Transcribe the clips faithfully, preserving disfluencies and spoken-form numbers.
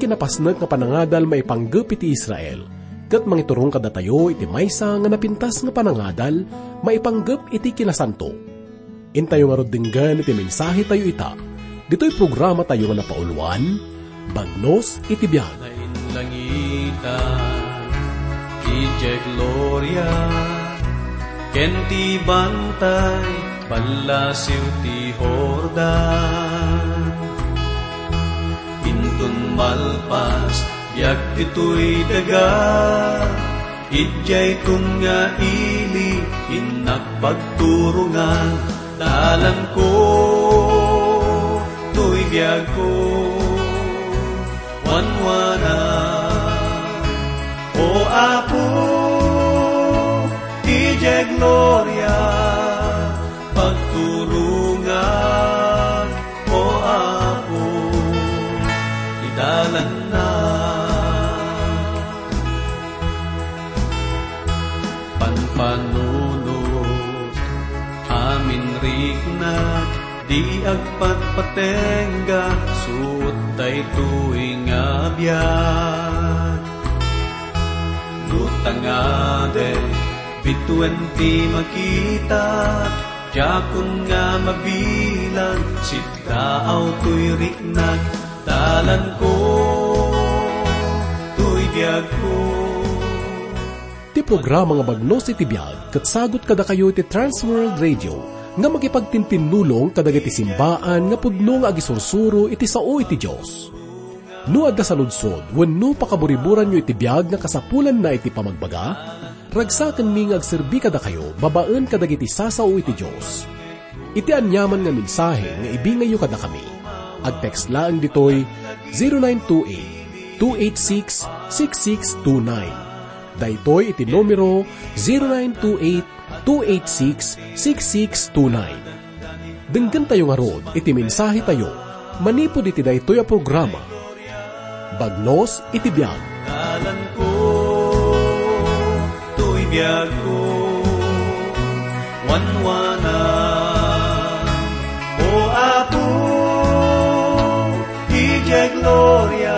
kinapasnek nga panangadal maipanggep iti Israel, ket mangiturong kadatayo iti maysa nga napintas nga panangadal maipanggep iti kinasanto. Intayo ngarud denggen iti mensahetayo ita, ditoy programatayo nga napauluan, Bagnos iti Biag. Nainlangitan, idiay gloria, ken ti bantay, ballasiw ti Jordan. Inton malpas, biag ditoy daga, idiay tun nga ili, innak pagturongan, dalanko, toy biagko, wanwana. O Apo, idiay gloria, pagturongan, O Apo, idalanna. Panpanunot, amin riknak, di agpatpatengga, suot daytoy nga biag. No tangaden, bituen ti makita, diakon nga mabilang, siddaaw toy riknak, dalanko, toy biagko. Ti programa nga Bagnos iti Biag ket sagut kadakayo iti Trans World Radio nga makipagtintinnulong kadagiti simbaan nga pudno nga agisursuro iti sao iti Dios. No adda saludsod wenno pakaburiburanyo iti biag nga kasapulanna iti pamagbaga, ragsakenmi nga agserbi kadakayo babaen kadagiti sasao iti Dios. Iti aniaman nga mensahe nga ibingayyo kadakami, agtext laeng ditoy zero nine two eight, two eight six, six six two nine. Daytoy iti numero zero nine two eight, two eight six, six six two nine. Denggentayo ngarud iti mensahetayo manipud iti daytoy a programa, Bagnos iti Biag. Dalanko, toy biagko, wanwana. O Apo, idiay gloria,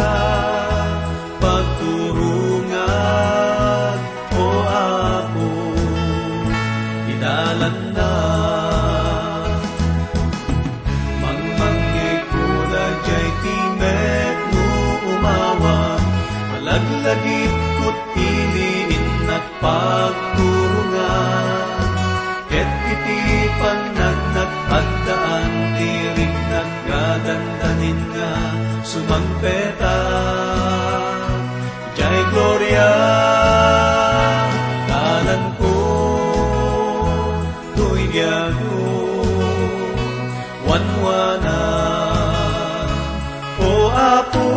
pagturongan, O Apo, idalanna. Mangmangngegko daydiay timek no umawan, malaglagipko ti ili, innak pagturongan. Ket iti pannagnak, addaan ti riknak nga dandanin nga sumangpetak. Jay gloria, dalanko, toy biagko, wanwana. O Apo,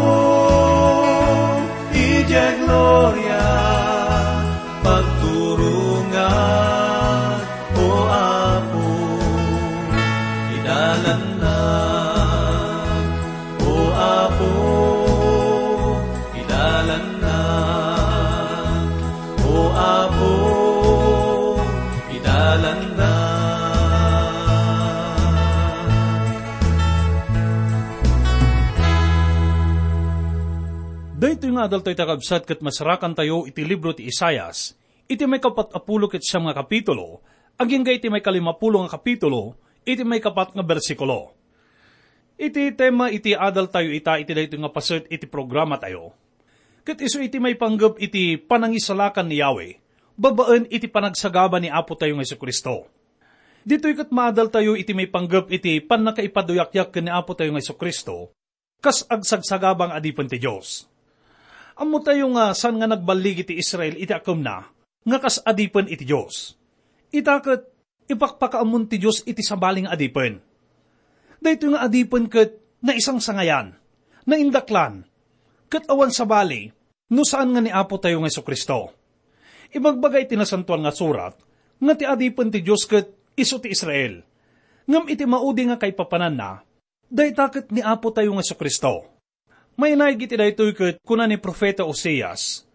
idiay gloria, pagturongan, O Apo, idalanna. O Apo, idalanna. O Apo, idalanna. Daytoy nga adaltayo, kakabsat, ket masarakantayo iti libro ti Isaias, iti maikapat a pulo ket siam nga kapitulo, agingga iti maikalimapulo nga kapitulo, iti maikapat nga bersikulo. Iti tema iti adaltayo ita iti daytoy nga paset iti programatayo. Ket isu iti maipanggep iti panangisalakan ni Yahweh, babaen iti panagsagaba ni Apotayo nga Jesu-Cristo. Ditoy ket maadaltayo iti maipanggep iti pannakaipaduyakyak ken ni Apotayo nga Jesu-Cristo, kas agsagsagaba nga adipen ti Dios. Ammotayo nga saan nga nagballigi ti Israel iti akemna nga kas adipen iti Dios. Ita ket ipakpakaammon ti Dios iti sabali nga adipen. Daytoy nga adipen ket naisangsangayan, naindaklan, ket awan sabali no saan nga ni Apotayo nga Jesu-Cristo. Ibagbaga iti Nasantoan nga Surat nga ti adipen ti Dios ket isu ti Israel. Ngem iti maudi nga kaipapananna, dayta ket ni Apotayo nga Jesu-Cristo. Mainaig iti daytoy ket kuna ni Profeta Oseas,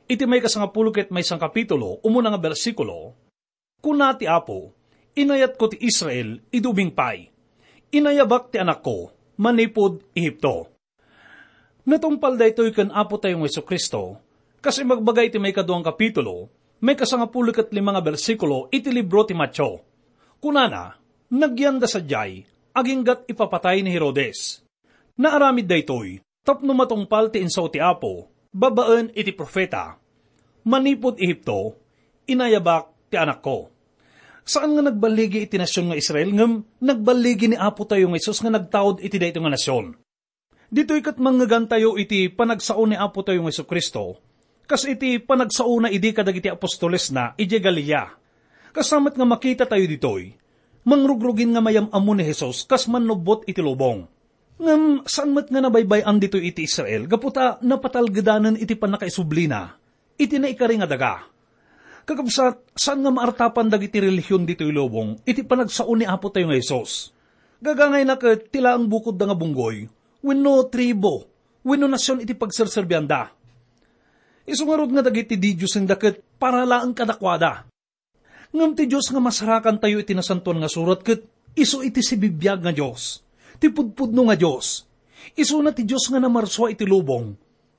iti maikasangapulo ket maysa nga kapitulo, umuna nga bersikulo, kuna ti Apo, "Inayatko ti Israel idi ubing pay. Inayabak ti anakko manipud Ehipto." Natungpal daytoy ken Apotayo nga Jesu-Cristo, kas ibagbaga iti maikadua nga kapitulo, maikasangapulo ket lima nga bersikulo iti libro ti Mateo. Kunana, nagyanda sadiay, aginggat ipapatay ni Herodes. Naaramid daytoy tapno matungpal ti insao ti Apo babaen iti profeta. Manipud Egipto, inayabak ti anakko. Saan nga nagballigi iti nasion nga Israel, ngem nagballigi ni Apotayo nga Jesus nga nagtaud iti daytoy nga nasion. Ditoy ket mangngegantayo iti panagsao ni Apotayo nga Jesu-Cristo, kas iti panagsaona idi kadagiti apostolesna idiay Galilea. Kasta met nga makitatayo ditoy, mangrugrugin nga mayam-ammo ni Jesus kas mannubbot iti lubong. Ngem saan met nga nabaybay-an ditoy iti Israel gapu ta napatalgedanen iti pannakaisublina iti naikari nga daga. Kakabsat, saan nga maartapan dagiti relihion ditoy lubong iti panagsao ni Apotayo nga Jesus. Gagangayna ket ti laeng bukodda nga bunggoy, wenno tribo, wenno nasion iti pagserserbianda. Isu ngarud nga dagiti didiosenda ket para laeng kadakuada. Ngem ti Dios nga masarakantayo iti Nasantoan nga Surat ket isu iti sibibiag nga Dios, ti pudpudno nga Dios. Isuna ti Dios nga namarsua iti lubong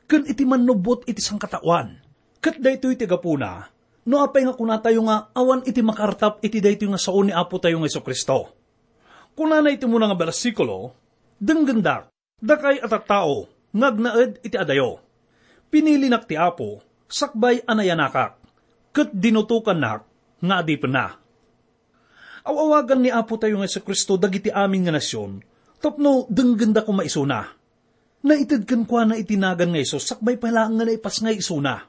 ken iti mannubbot iti sangkataoan. Ket daytoy ti gapuna no apay nga kunatayo nga awan iti makaartap iti daytoy nga sao ni Apotayo nga Jesu-Cristo. Kunana iti umuna nga bersikulo, "Denggendak, dakay a tattao nga agnaed iti adayo. Pinilinak ti Apo sakbay a nayanakak, ket dinutokannak nga adipenna." Aw-awagan ni Apotayo nga Jesu-Cristo dagiti amin nga nasion tapno denggenda koma isuna. Naited kenkuana iti nagan nga Jesus sakbay pay laeng nga naipasngay isuna.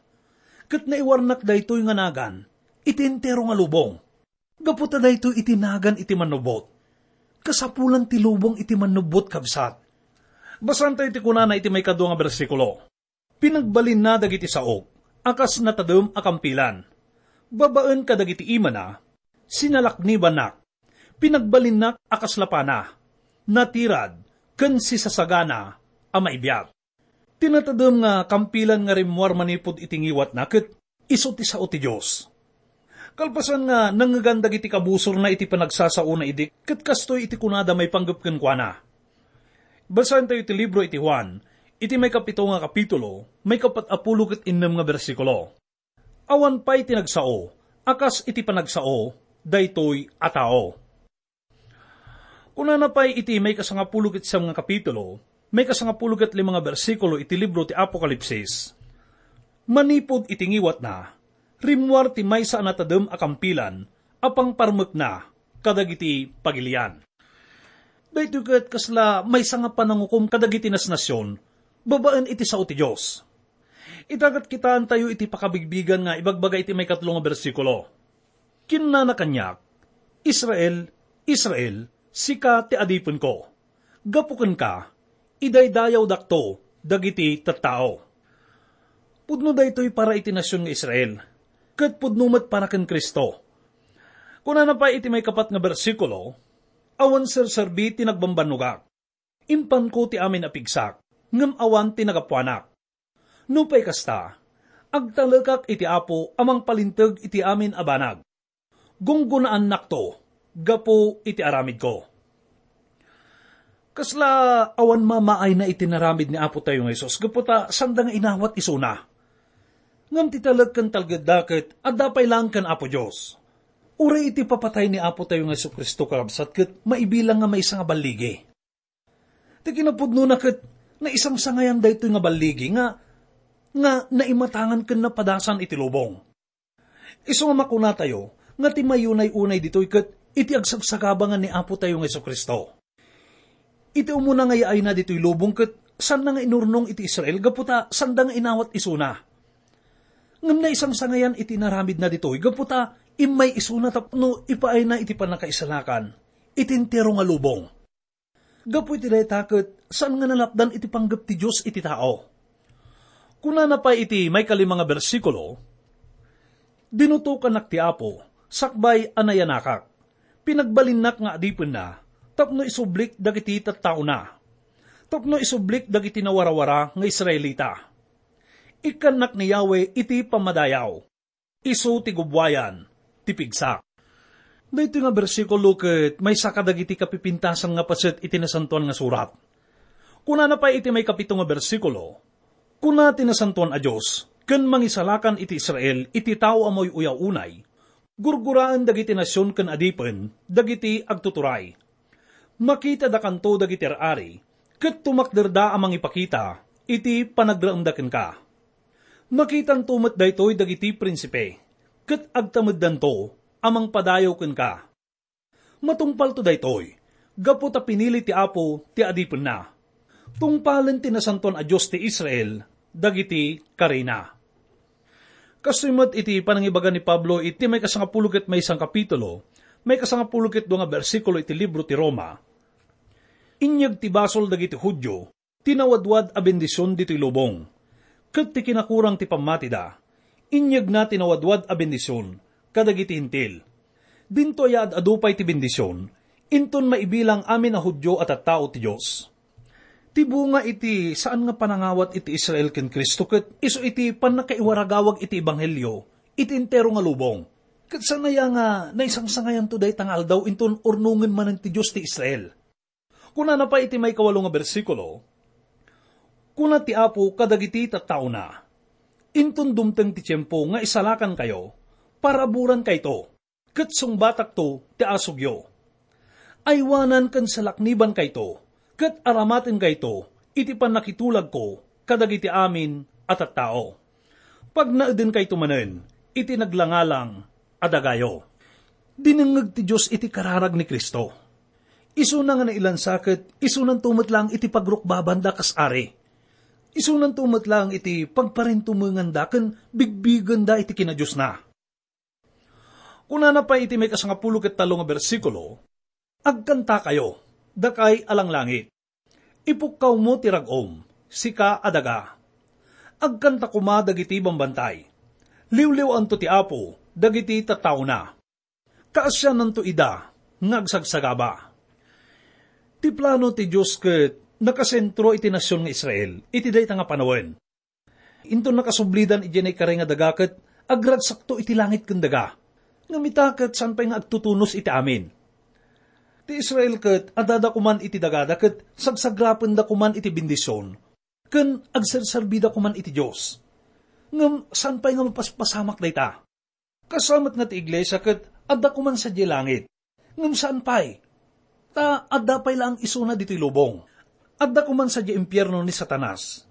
Ket naiwarnak daytoy nga nagan iti entero nga lubong. Gapu ta daytoy iti nagan iti mannubbot. Kasapulan ti lubong iti mannubbot, kabsat. Basaentayo ti kunana iti maikadua nga bersikulo, "Pinagbalinna dagiti saok a kas natadem a kampilan. Babaen kadagiti imana, sinalaknibannak. Pinagbalinnak a kas lapana, natirad, ken sisasagana a maibiag." Ti natadem nga kampilan nga rimmuar manipud iti ngiwatna ket isu ti sao ti Dios. Kalpasan nga nangngegan dagiti kabusorna iti panagsasaona idi, ket kastoy iti kunada maipanggep kenkuana. Basaentayo ti libro iti Juan, iti maikapito nga kapitulo, maikapat a pulo ket innem nga bersikulo. Awan pay ti nagsao a kas iti panagsao daytoy a tao. Kunana pay iti maikasangapulo ket siam nga kapitulo, maikasangapulo ket lima nga bersikulo iti libro ti Apokalipsis, "Manipud iti ngiwatna, rimmuar ti maysa a natadem a kampilan a pangparmekna kadagiti pagilian." Daytoy ket kasla maysa nga panangukom kadagiti nasnasion babaen iti sao ti Dios. Ita ket kitaentayo iti pakabigbigan nga ibagbaga iti maikatlo nga bersikulo. Kinunana kaniak, "Israel, Israel, sika ti adipenko. Gapu kenka, idaydayawdakto dagiti tattao." Pudno daytoy para iti nasion nga Israel, ket pudno met para ken Cristo. Kunana pay iti maikapat nga bersikulo, "Awan serserbi ti nagbambannogak. Impanko ti amin a pigsak, ngem awan ti nagapuanak. Nupay kasta, agtalekak iti Apo a mangpalinteg iti amin a banag. Gunggonaannakto gapu iti aramidko." Kasla awan mamaayna iti naramid ni Apotayo nga Jesus gapu ta sanda nga inawat isuna. Ngem ti talek ken talgedda ket adda pay laeng ken Apo Dios. Uray iti papatay ni Apotayo nga Jesu-Cristo, kakabsat, ket maibilang nga maysa nga balligi. Ti kinapudnona ket naisangsangayan daytoy nga balligi nga, nga naimatangan ken napadasan iti lubong. Isu nga makunatayo nga ti mayunay-unay ditoy ket iti agsagsaga ni Apotayo nga Jesu-Cristo. Iti umuna nga yaayna ditoy lubong ket saanna nga inurnong iti Israel gapu ta sanda nga inawat isuna. Ngem naisangsangayan iti inaramidna ditoy gapu ta immay isuna tapno ipaayna iti pannakaisalakan iti entero nga lubong. Gapu iti dayta ket saan nga nalapdan iti panggep ti Dios iti tao. Kunana pay iti maikalima nga bersikulo, "Dinutokannak ti Apo, sakbay a nayanakak. Pinagbalinnak nga adipenna tapno isublik dagiti tattaona, tapno isublik dagiti nawarawara nga Israelita. Ikkannak ni Yahweh iti pammadayaw. Isu ti gubbuayan ti pigsak." Daytoy nga bersikulo ket maysa kadagiti kapipintasan nga paset iti Nasantoan nga Surat. Kunana pay iti maikapito nga bersikulo, "Kuna ti Nasantoan a Dios, ken mangisalakan iti Israel iti tao a mauy-uyaw unay, gurguraen dagiti nasion ken adipen dagiti agtuturay. Makitadakanto dagiti ar-ari, ket tumakderda a mangipakita iti panagraemda kenka. Makitanto met daytoy dagiti prinsipe, ket agtameddanto a mangpadayaw kenka. Matungpalto daytoy, gapu ta pinili ti Apo ti adipenna. Tungpalen ti Nasantoan a Dios ti Israel dagiti karina." Kastoy met iti panangibaga ni Pablo iti maikasangapulo ket maysa a kapitulo, maikasangapulo ket dua nga bersikulo iti libro ti Roma, "Inyeg ti basol dagiti Judio ti nawadwad a bendision ditoy lubong, ket ti kinakurang ti pammatida, inyegna ti nawadwad a bendision kadagiti Hentil. Dinto aya ad-adu pay ti bendision, inton maibilang amin a Judio a tattao ti Dios." Ti bunga iti saan nga panangawat iti Israel ken Cristo ket isu iti pannakaiwaragawag iti ebanghelio iti entero nga lubong. Ket saan aya nga naisangsangayanto dayta nga aldaw inton urnongen manen ti Dios ti Israel? Kunana pay iti maikawalo nga bersikulo, "Kuna ti Apo kadagiti tattaona, 'Inton dumteng ti tiempo nga isalakankayo, paraborankayto, ket sungbatakto ti asugyo. Aywanan ken salaknibankayto, ket aramatenkayto iti pannakitulagko kadagiti amin a tattao. Pagnaedenkayto manen iti naglangalang a dagayo.'" Dinengngeg ti Dios iti kararag ni Cristo. Isuna nga nailansa ket isunanto met laeng iti pagrukbabanda kas ari. Isunanto met laeng iti pagparintumenganda ken bigbigenda iti kinadiosna. Kunana pay iti maikasangapulo ket tallo nga bersikulo, "Agkantakayo, dakay a langlangit. Ipukkawmo ti rag-om, sika a daga. Agkanta koma dagiti bambantay. Liwliwaanto ti Apo dagiti tattaona. Kaasiananto ida nga agsagsagaba." Ti plano ti Dios ket nakasentro iti nasion nga Israel iti dayta nga panawen. Inton nakasublidan idiay naikari nga daga ket agragsakto iti langit ken daga. Ngem ita ket saan pay nga agtutunos iti amin. Ti Israel ket addada koman iti dagada ket sagsagrapenda koman iti bendision ken agserserbida koman iti Dios. Ngem saan pay nga mapaspasamak dayta. Kasta met nga ti iglesia ket adda koman sadiay langit. Ngem saan pay. Ta adda pay laeng isuna ditoy lubong. Adda koman sadiay impierno ni Satanas.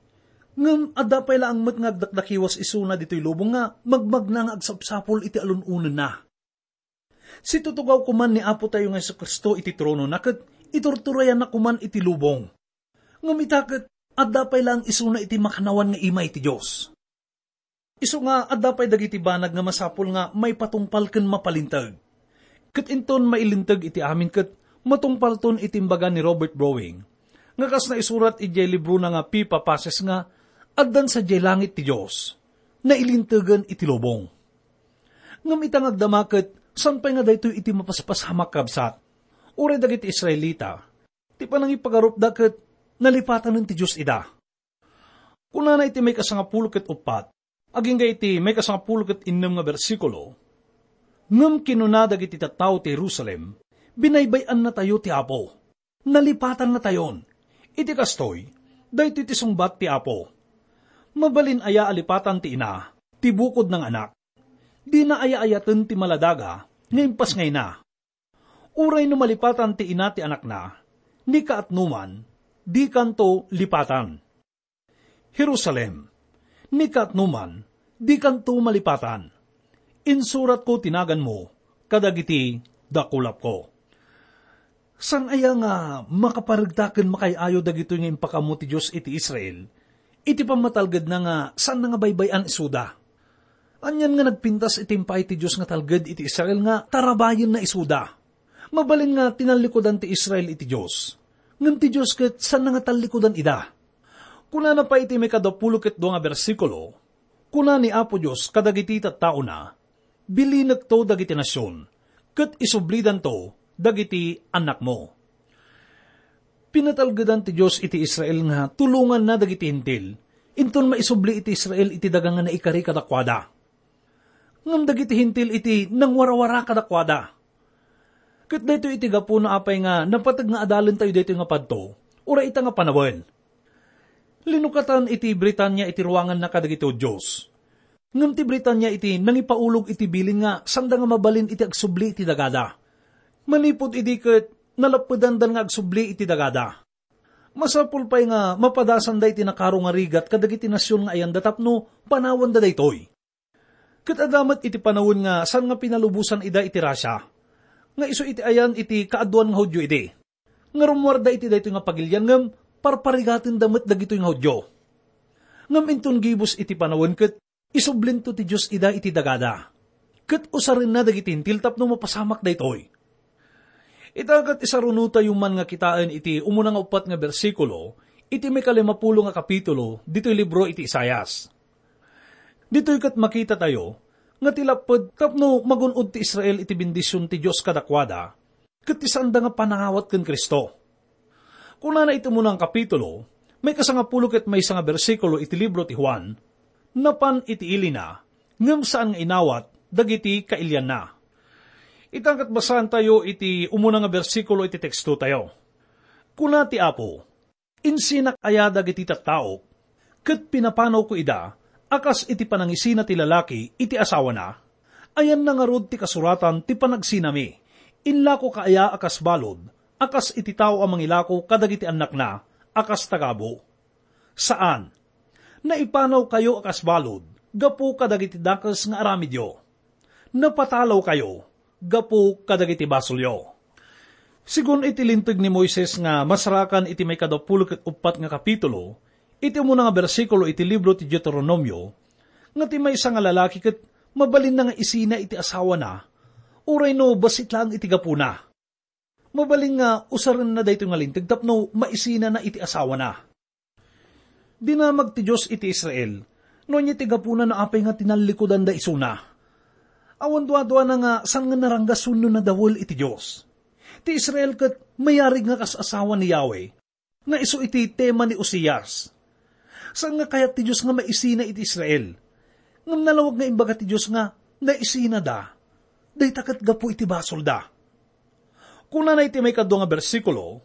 Ngem adda pay laeng met nga agdakdakiwas isuna ditoy lubong nga magmagna nga agsapsapul iti alun-onenna. Situtugaw koman ni Apo tayo nga Jesu-Cristo iti tronona ket iturturayanna koman iti lubong. Ngem ita ket adda pay laeng isuna iti makannawan nga imay ti Dios. Isu nga adda pay dagiti banag nga masapul nga maipatungpal ken mapalinteg. Ket inton mailinteg iti amin ket matungpalton iti imbaga ni Robert Browning, nga kas naisurat idiay librona nga Pipa Passes nga, "Addan sadiay langit ti Dios, nailintegen iti lubong." Ngem ita nga agdama ket saan pay nga daytoy iti mapaspasamak, kabsat. Uray dagiti Israelita, ti panangipagarupda ket nalipatanen ti Dios ida. Kunana iti maikasangapulo ket uppat, agingga iti maikasangapulo ket innem nga bersikulo, "Ngem kinuna dagiti tattao ti Jerusalem, 'Binaybay-annatayo ti Apo. Nalipatannatayon.' Iti kastoy, daytoy ti sungbat ti Apo. Mabalin aya a lipatan ti ina, ti bukodna nga anak? Dina aya ayaten ti maladaga nga impasngayna. Uray no malipatan ti ina ti anakna, ni kaatnoman, dikanto lipatan. Jerusalem, ni kaatnoman, dikanto malipatan. Insuratko ti naganmo kadagiti dakulapko." Saan aya nga makaparegta ken makaay-ayo dagitoy nga impakammo ti Dios iti Israel iti pammatalgedna nga saanna nga baybay-an isuda? Anian nga nagpintas iti impaay ti Dios nga talged iti Israel nga tarabayenna isuda? Mabalin nga tinallikudan ti Israel iti Dios, ngem ti Dios ket saanna nga tallikudan ida. Kunana pay iti maikadapulo ket dua nga bersikulo, "Kuna ni Apo Dios kadagiti tattaona, 'Bilinekto dagiti nasion, ket isublidanto dagiti annakmo.'" Pinatalgedan ti Dios iti Israel nga tulonganna dagiti Hentil, inton maisubli iti Israel iti daga nga naikari kadakuada. Ngem dagiti Hentil iti nangwarawara kadakuada. Ket daytoy iti gapuna apay nga napateg nga adalentayo daytoy nga padto, uray ita nga panawen. Linukatan iti Britania iti ruanganna kadagiti Judio. Ngem ti Britania iti nangipaulog iti bilin nga sanda nga mabalin iti agsubli iti dagada. Manipud idi ket nalappedandan nga agsubli iti dagada. Masapul pay nga mapadasanda iti nakaro nga rigat kadagiti nasion nga ayanda tapno panawanda daytoy. Ket adda met iti panawen nga saan nga pinalubosan ida iti Russia, nga isu iti ayan iti kaaduan nga Judio idi. Nga rummuarda iti daytoy nga pagilian ngem parparigatenda met dagitoy nga Judio. Ngem inton gibues iti panawen ket isublento ti Dios ida iti dagada. Ket usarenna dagiti Hentil tapno mapasamak daytoy. Ita ket isarunotayo man nga kitaen iti umuna nga uppat nga bersikulo iti maikalimapulo nga kapitulo ditoy libro iti Isaias. Ditoy ket makitatayo nga ti lapped tapno magun-od ti Israel iti bendision ti Dios kadakuada, ket ti saanda nga panangawat ken Cristo. Kunana iti umuna nga kapitulo, maikasangapulo ket maysa nga bersikulo iti libro ti Juan, napan iti ilina, ngem saan nga inawat dagiti kailianna. Ita ket basaantayo iti umuna nga bersikulo iti tekstotayo. Kuna ti Apo, "Insinak aya dagiti tattaok, ket pinapanawko ida a kas iti panangisina ti lalaki iti asawana? Ayanna ngarud ti kasuratan ti panagsinami, 'Inlakoka aya a kas balud, a kas iti tao a mangilako kadagiti annakna a kas tagabu'?" Saan. Naipanawkayo a kas balud gapu kadagiti dakes nga aramidyo. Napatalawkayo gapu kadagiti basolyo. Sigun iti Linteg ni Moises nga masarakan iti maikadapulo ket uppat nga kapitulo, iti umuna nga bersikulo iti libro ti Deuteronomio, nga ti maysa nga lalaki ket mabalinna nga isina iti asawana, uray no bassit laeng iti gapuna. Mabalin nga usarenna daytoy nga linteg tapno maisinana iti asawana. Dinamag ti Dios iti Israel, no ania ti gapuna no apay nga tinallikudanda isuna. Awan duaduana nga saan nga naranggas wenno nadawel iti Dios. Ti Israel ket mayarig nga kas asawa ni Yahweh, nga isu iti tema ni Oseas. Saan nga kayat ti Dios nga maisina iti Israel. Ngem nalawag nga imbaga ti Dios nga naisinada. Dayta ket gapu iti basolda. Kunana iti maikadua nga bersikulo,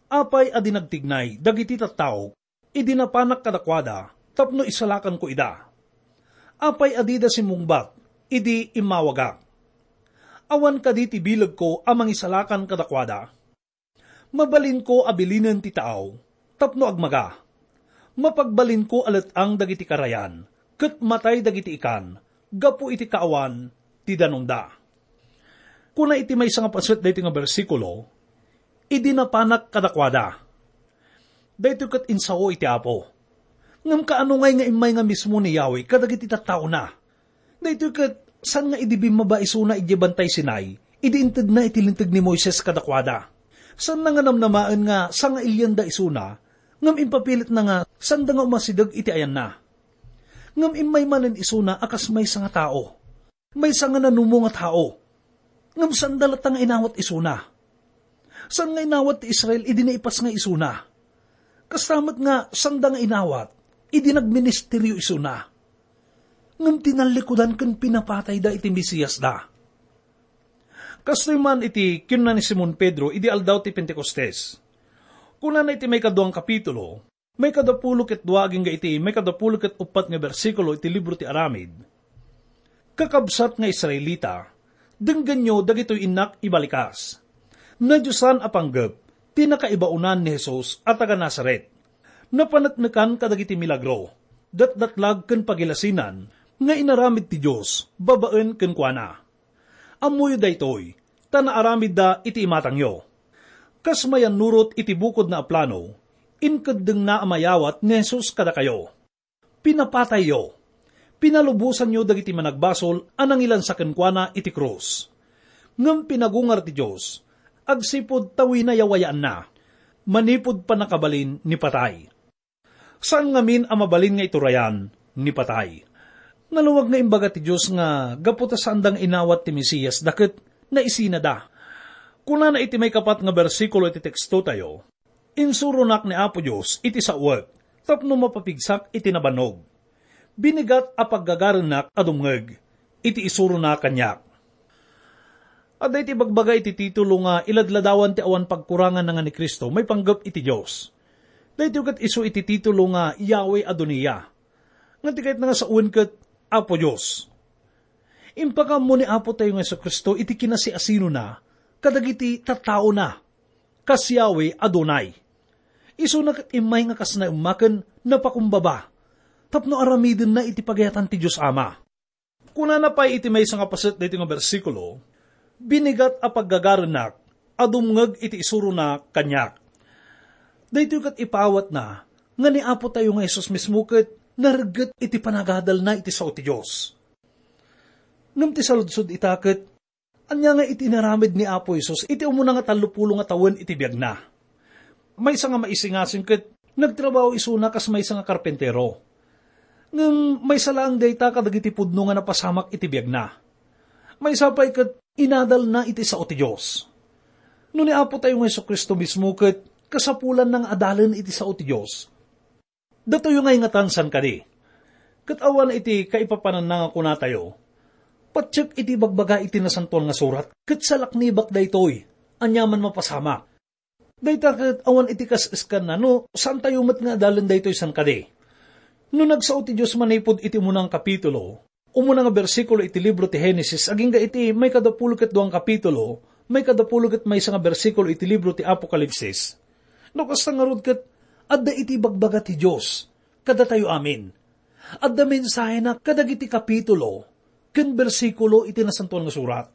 "Apay a di nagtignay dagiti tattaok idi napanak kadakuada tapno isalakanko ida? Apay a dida simmungbat idi immawagak? Awan kadi ti bilegko a mangisalakan kadakuada? Mabalinko a bilinen ti taaw tapno agmaga. Mapagbalinko a let-ang dagiti karayan ket matay dagiti ikan gapu iti kaawan ti danumda." Kuna iti maysa nga paset daytoy nga bersikulo, "Idi napanak kadakuada." Daytoy ket insao iti Apo. Ngem kaano ngay nga immay nga mismo ni Yahweh kadagiti tattaona? Daytoy ket saan nga idi bimmaba isuna idiay Bantay Sinai, idi intedna iti linteg ni Moises kadakuada. Saanna nga namnamaen nga sangailianda isuna, ngem impapilitna nga saanda nga umasideg iti ayanna. Ngem immay manen isuna a kas maysa nga tao. Maysa nga nanumo nga tao. Ngem saanda latta nga inawat isuna. Saan nga inawat ti Israel idi naipas nga isuna. Kasta met nga saanda nga inawat idi nagministeryo isuna. Ngem tinallikudan ken pinapatayda iti Mesiasda. Kastoy man iti kinuna ni Simon Pedro idi Aldaw ti Pentecostes. Kunana iti maikadua nga kapitulo, maikadapulo ket dua agingga iti maikadapulo ket uppat nga bersikulo iti libro ti Aramid, "Kakabsat nga Israelita, denggenyo dagitoy innak ibalikas. Nadiosan a panggep ti nakaibaonan ni Jesus a taga Nazaret. Napaneknekan kadagiti milagro, datdatlag ken pagilasinan nga inaramid ti Dios babaen kenkuana. Ammoyo daytoy, ta naaramidda iti imatangyo. Kas mayannurot iti bukodna a plano, inkeddengna a mayawat ni Jesus kadakayo. Pinapatayyo. Pinalubosanyo dagiti managbasol a nangilansa kenkuana iti krus. Ngem pinagungar ti Dios, agsipud ta winayawayaanna, manipud pannakabalin ni patay." Saan ngamin a mabalin nga iturayan ni patay. Nalawag nga imbaga ti Dios nga gapu ta saanda nga inawat ti Mesiasda ket naisinada. Kunana iti maikapat nga bersikulo iti tekstotayo, "Insuronak ni Apo Dios iti saoek tapno mapapigsak iti nabannog. Binigat a paggagarennak a dumngeg iti isurona kaniak." Adda iti ibagbaga iti titulo nga iladladawan ti awan pagkurangan nga ni Cristo maipanggep iti Dios. Daytoy ket isu iti titulo nga Yahweh Adonai. Ngem ti kayatna nga sawen ket Apo Dios. Impakaammo ni Apo tayo nga Jesu-Cristo iti kinasiasinona kadagiti tattaona, kas Yahweh Adonai. Isuna ket immay nga kas naemma ken napakumbaba tapno aramidenna iti pagayatan ti Dios Ama. Kunana pay iti maysa nga paset daytoy nga bersikulo, "Binigat a paggagarennak a dumngeg iti isurona kaniak." Daytoy ket ipaawatna nga ni Apo tayo nga Jesus mismo ket naregget iti panagadalna iti sao ti Dios. Ngem ti saludsod ita ket, ania nga iti inaramid ni Apo Jesus iti umuna nga tallopulo nga tawen iti biagna? Maysa nga maisingasing ket nagtrabaho isuna kas maysa nga karpentero. Ngem maysa laeng dayta kadagiti pudno nga napasamak iti biagna. Maysa pay ket inadalna iti sao ti Dios. No ni Apo tayo nga Jesu-Cristo mismo ket kasapulanna nga adalen iti sao ti Dios, datoyo nga ingatan saan kadi? Ket awan iti kaipapananna nga kunatayo, "Patiek iti ibagbaga iti Nasantoan nga Surat, ket salaknibak daytoy, aniaman mapasamak." Dayta ket awan iti kas-eskanna no saantayo met nga adalen daytoy saan kadi. No nagsao ti Dios manipud iti umuna nga kapitulo, umuna nga bersikulo iti libro ti Genesis, agingga iti maikadapulo ket dua nga kapitulo, maikadapulo ket maysa nga bersikulo iti libro ti Apokalipsis. No kasta ngarud ket adda iti ibagbaga ti Dios kadatayo amin. Adda mensahena kadagiti kapitulo ken bersikulo iti Nasantoan nga Surat.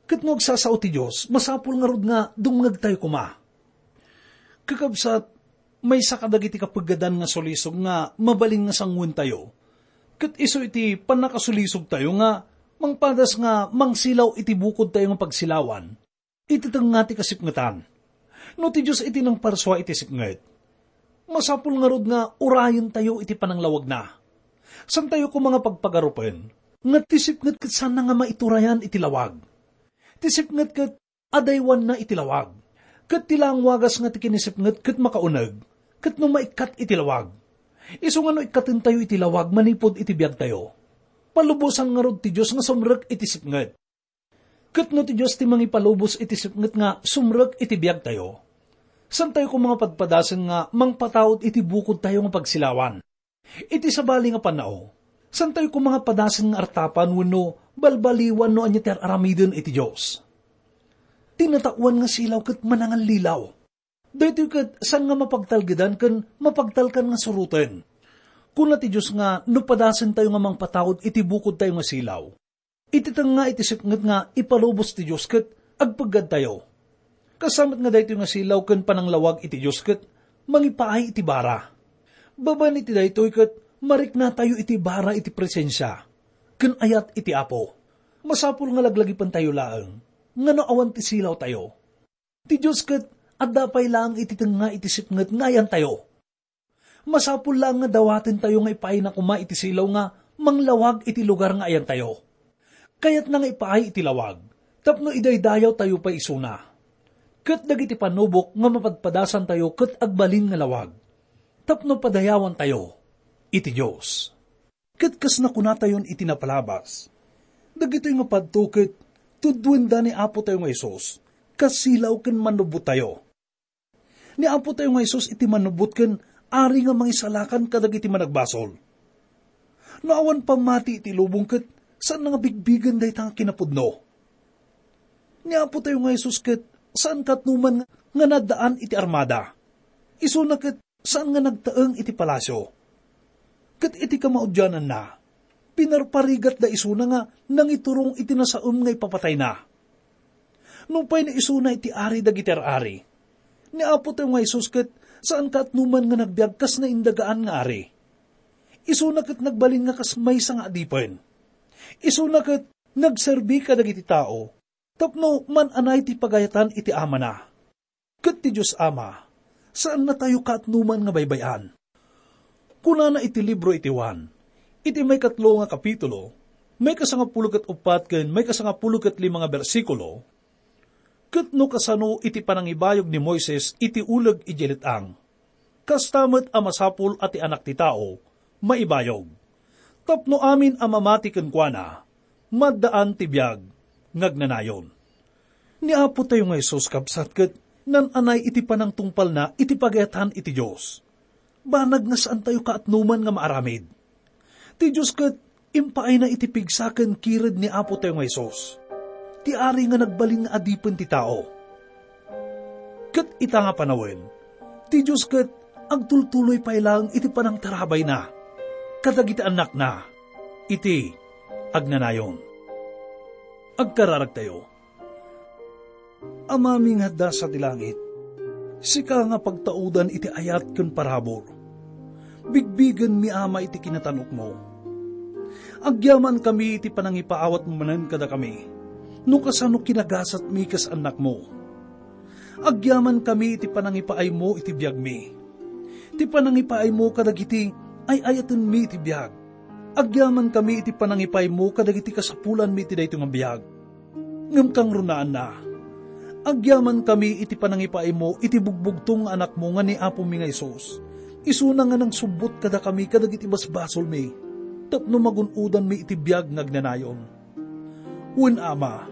Ket no agsasao ti Dios, masapul ngarud nga dumngegtayo koma. Kakabsat, maysa kadagiti kapeggedan nga sulisog nga mabalin nga sanguentayo, ket isu iti pannakasulisogtayo nga mangpadas nga mangsilaw iti bukodtayo nga pagsilawan iti tengnga ti kasipngetan. No ti Dios iti nangparsua iti sipnget, masapul ngarud nga urayentayo iti pananglawagna. Saantayo koma nga pagpagarupen nga ti sipnget ket saanna nga maiturayan iti lawag. Ti sipnget ket adaywanna iti lawag, ket ti laeng wagas nga ti kinisipnget ket makauneg ket no maikkat iti lawag. Isu nga no ikkatentayo iti lawag manipud iti biagtayo, palubosan ngarud ti Dios nga sumrek iti sipnget. Ket no ti Dios ti mangipalubos iti sipnget nga sumrek iti biagtayo, saantayo koma nga padpadasen nga mangpataud iti bukodtayo nga pagsilawan. Iti sabali nga pannao, saantayo koma nga padasen nga artapan wenno balbaliwan no ania ti ar-aramiden iti Dios. Ti nataoan nga silaw ket manangallilaw. Daytoy ket saan nga mapagtalgedan ken mapagtalkan nga suroten. Kuna ti Dios nga no padasentayo nga mangpataud iti bukodtayo nga silaw, iti tengnga iti sipnget nga ipalubos ti Dios ket agpeggadtayo. Kasta met nga daytoy nga silaw ken pananglawag iti Dios ket mangipaay iti bara. Babaen iti daytoy ket mariknatayo iti bara iti presensia ken ayat iti Apo. Masapul nga laglagipentayo laeng nga no awan ti silawtayo. Ti Dios ket adda pay laeng iti tengnga iti sipnget nga ayantayo. Masapul laeng nga dawatentayo nga ipaayna koma iti silaw nga manglawag iti lugar nga ayantayo. Kayatna nga ipaay iti lawag tapno idaydayawtayo pay isuna. Ket dagiti panubok nga mapadpadasantayo ket agbalin nga lawag tapno padayawantayo iti Dios. Ket kas nakunatayon iti napalabas, dagitoy nga padto ket tuddoenda ni Apo tayo nga Jesus kas silaw ken mannubbottayo. Ni Apo tayo nga Jesus iti mannubot ken Ari nga mangisalakan kadagiti managbasol. No awan pammati iti lubong ket saan nga bigbigen dayta nga kinapudno. Ni Apo tayo nga Jesus ket saan katnoman nga naddaan iti armada. Isuna ket saan nga nagtaeng iti palasio. Ket iti kamaudiananna, pinarparigatda isuna nga nangiturong iti nasaem nga ipapatayna. Nupay naisuna iti ari dagiti ar-ari, ni Apo tayo nga Jesus ket saan katnoman nga nagbiag kas naindagaan nga ari. Isuna ket nagbalin nga kas maysa nga adipen. Isuna ket nagserbi kadagiti tao tapno man-anay ti pagayatan iti Amana. Ket ti Dios Ama, saannatayo kaatnoman nga baybay-an. Kunana iti libro iti Juan, iti maikatlo nga kapitulo, maikasangapulo ket uppat ken maikasangapulo ket lima nga bersikulo, "Ket no kasano iti panangibayog ni Moises iti uleg idiay let-ang, kasta met a masapul a ti Anak ti Tao maibayog, tapno amin a mamati kenkuana, maddaan ti biag nga agnanayon." Ni Apo tayo nga Jesus, kabsat, ket Nan-anay iti panangtungpalna iti pagayatan iti Dios. Banag nga saantayo kaatnoman nga maaramid. Ti Dios ket impaayna iti pigsa ken kired ni Apotayo nga Jesus, ti Ari nga nagbalin nga adipen ti tao. Ket ita nga panawen, ti Dios ket agtultuloy pay laeng iti panangtarabayna kadagiti annakna iti agnanayon. Agkararagtayo. Amami nga adda sa ti langit, sika nga pagtaudan iti ayat ken parabur. Bigbigenmi, Ama, iti kinatanokmo. Agyamankami iti panangipaawatmo manen kadakami, no kasano kinagasatmi kas annakmo. Agyamankami iti panangipaaymo iti biagmi, ti panangipaaymo kadagiti ay-ayatenmi iti biag. Agyamankami iti panangipaaymo kadagiti kasapulanmi iti daytoy nga biag. Ngem kangrunaanna, agyamankami iti panangipaaymo iti bugbugtong nga Anakmo nga ni Apomi nga Jesus. Isuna nga nangsubbot kadakami kadagiti basbasolmi, tapno magun-odanmi iti biag nga agnanayon. Wen, Ama,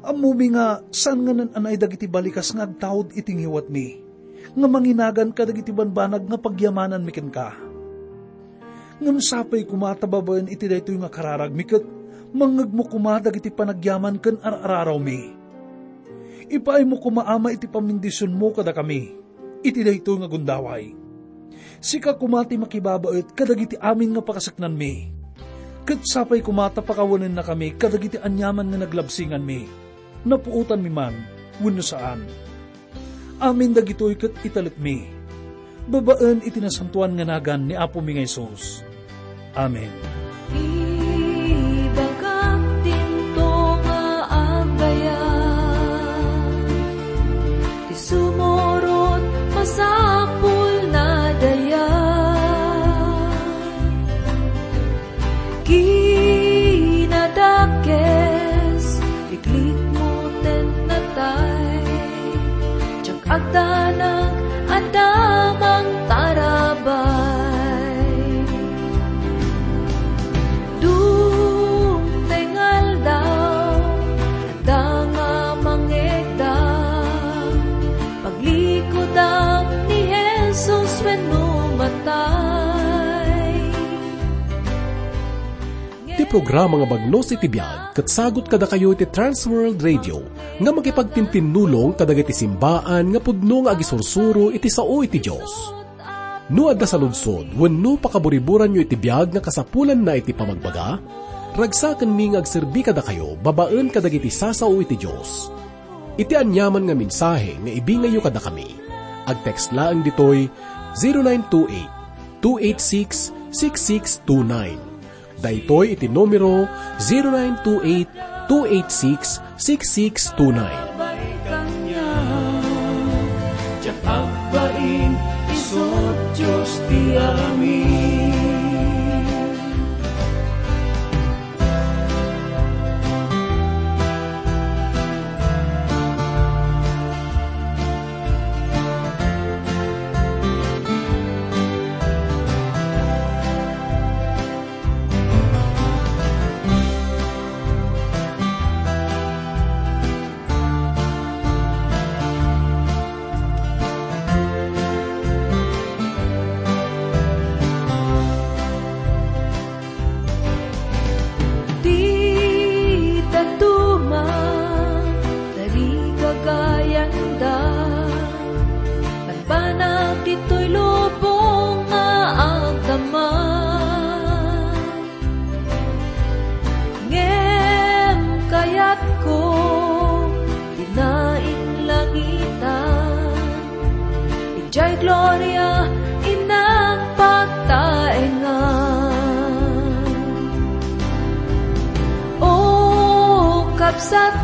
ammomi nga saan nga naan-anay dagiti balikas nga agtaud iti ngiwatmi, nga manginagan kadagiti banbanag nga pagyamananmi kenka. Ngem sapay koma ta babaen iti daytoy nga kararagmi ket mangngegmo koma dagiti panagyaman ken ar-ararawmi. Ipaaymo koma, Ama, iti pammendisionmo kadakami iti daytoy nga gundaway. Sika koma ti makibabaet kadagiti amin nga pakaseknanmi. Ket sapay koma ta pakawanennakami kadagiti aniaman nga naglabsinganmi, napuotanmi man wenno saan. Amin dagitoy ket italekmi babaen iti nasantoan nga nagan ni Apomi nga Jesus. Amen. Ibagak tinto nga agayam, ti sumurot masapul na dayag. Kinadakes, iklikmo ten natay, diak agdanag a damang tarabay. Dungtay nga aldaw, adda nga mangegda, paglikudam ni Jesus wenno matay. Ti programa nga Bagnos iti Biag ket sagut kadakayo iti Trans World Radio nga makipagtintinnulong kadagiti simbaan nga pudno nga agisursuro iti sao iti Dios. No adda saludsod wenno pakaburiburanyo iti biag nga kasapulanna iti pamagbaga, ragsakenmi nga agserbi kadakayo babaen kadagiti sasao iti Dios. Iti aniaman nga mensahe nga ibingayyo kadakami, agtext laeng ditoy zero nine two eight, two eight six, six six two nine. Daytoy iti numero zero nine two eight, two eight six, six six two nine. Diak agbain, isu Dios ti amin. Ti dadduma, tarigagayanda, banbanag ditoy lubong nga agdama. Ngem kayatko, dina inlangitan, idiay gloria innak pagtaengan. O kabsat